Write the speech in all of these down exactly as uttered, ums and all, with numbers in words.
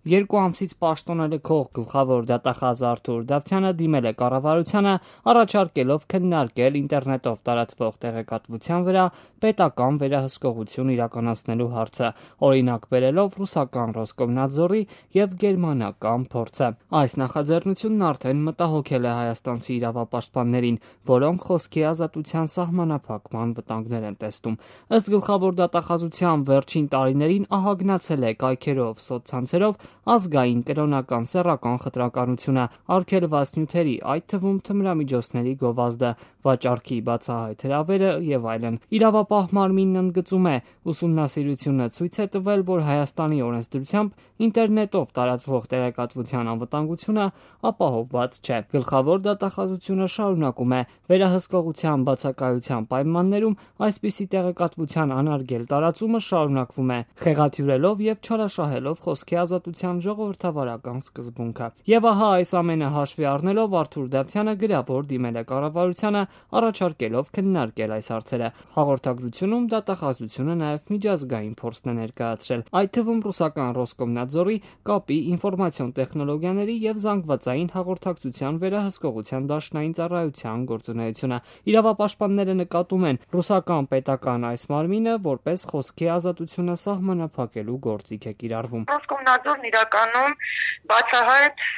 Երկու ամսից պաշտոնել քող գլխավոր դատախազ Արթուր Դավթյանը դիմել է կառավարությանը, առաջարկելով քննարկել ինտերնետով տարածվող տեղեկատվության վրա պետական վերահսկողություն իրականացնելու հարցը, օրինակ բերելով ռուսական Ռոսկոմնադզորի եւ գերմանական փորձը։ Այս նախաձեռնությունն արդեն մտահոգել է հայաստանցի իրավապաշտպաններին, որոնք խոսքի ազատության սահմանափակման վտանգներ են տեսնում։ Ըստ գլխավոր դատախազության վերջին տարիներին ահագնացել է կայքերով, սոցցանցերով ազգային կրոնական սեռական խտրականությունը, արգելված նյութերի, այդ թվում թմրամիջոցների գովազդը, վաճառքի բացահայտ հրավերը եւ այլն։ Իրավապահ մարմինն ընդգծում է, ուսումնասիրությունը ցույց է տվել, որ Հայաստանի օրենսդրությամբ ինտերնետով տարածվող տեղեկատվության անվտանգությունը ապահովված չէ։ Գլխավոր դատախազությունը շարունակում է վերահսկողության բացակայության պայմաններում այսպիսի տեղեկատվության անարգել տարածումը շարունակվում է, խեղաթյուրելով եւ չարաշահելով խոսքի ազատության ժողովրդավարական սկզբունքը։ Եվ ահա այս ամենը հաշվի առնելով Արթուր Դավթյանը գրավոր դիմել է կառավարությանը, առաջարկելով քննարկել այս հարցերը։ Հաղորդագրությունում դատախազությունը նաեւ միջազգային փորձն է ներկայացրել, այդ թվում ռուսական Ռոսկոմնադզորի կապի, ինֆորմացիոն տեխնոլոգիաների եւ զանգվածային հաղորդակցության վերահսկողության դաշնային ծառայության գործունեությունը։ Իրավապաշտպանները նկատում են ռուսական պետական այս մարմինը որպես խոսքի ազատությունը սահմանափակելու գործիք է կիրառվում։ Ռոսկոմնադզորն իրականում բացահայտ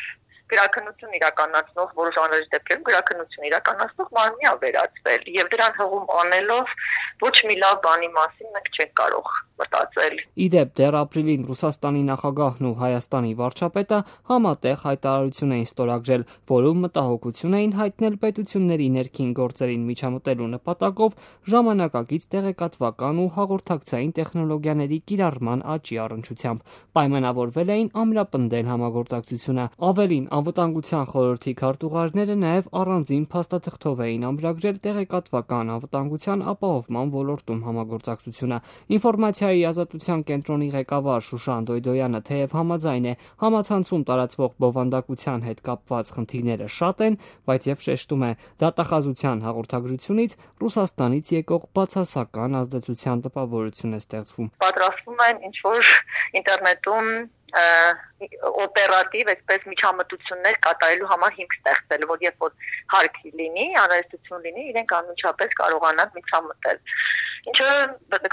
գրաքննություն իրականացնող որոշ անհրաժեշտ դեպքերում գրաքննություն իրականացնող մարմնի է վերածվել եւ դրան հղում անելով ոչ մի լավ բանի մասին մենք չենք կարող մտածել։ Իդեպ դեռ ապրիլին Ռուսաստանի նախագահն ու Հայաստանի վարչապետը համատեղ հայտարարություն էին ստորագրել, որում մտահոգություն էին հայտնել պետությունների ներքին գործերին միջամտելու նպատակով ժամանակակից տեղեկատվական ու հաղորդակցային տեխնոլոգիաների կիրառման աճի առնչությամբ։ Պայմանավորվել էին ամրապնդել համագործակցությունը։ Ավելին, Անվտանգության խորհրդի քարտուղարները նաև առանձին փաստաթղթով էին ամրագրել տեղեկատվական անվտանգության ապահովման ոլորտում համագործակցությունը։ Ինֆորմացիայի ազատության կենտրոնի ղեկավար Շուշան Դոյդոյանը թեև համաձայն է, համացանցում տարածվող բովանդակության հետ կապված խնդիրները շատ են, բայց եւ շեշտում է, դատախազության հաղորդագրությունից Ռուսաստանից եկող բացասական ազդեցության տպավորություն է ստեղծվում։ Պատրաստվում են ինչ որ ինտերնետում օպերատիվ այսպես միջամտություններ կատարելու համար հիմք ստեղծել, որ երբ որ հարկ լինի, անհրաժեշտություն լինի, իրենք անմիջապես կարողանան միջամտել։ Ինչը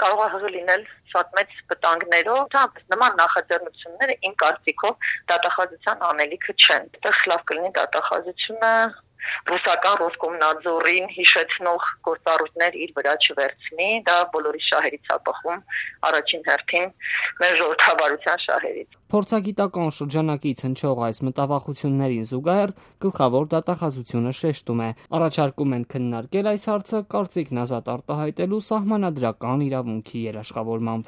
կարող է հղի լինել շատ մեծ վտանգներով, նման նախաձեռնությունները իմ կարծիքով դատախազության անելիքը չեն։ Այդտեղ լավ կլինի դատախազությունը ռուսական Ռոսկոմնադզորին հիշեցնող գործառույթներ իր վրա չվերցնի, դա բոլորի շահերից է բխում, առաջին հերթին մեր ժողովրդավարության շահերից։ Փորձագիտական շրջանակից հնչող այս մտավախություններին զուգահեռ գլխավոր դատախազությունը շեշտում է, առաջարկում են քննարկել այս հարցը կարծիքն ազատ արտահայտելու սահմանադրական իրավունքի երաշխավորմամբ։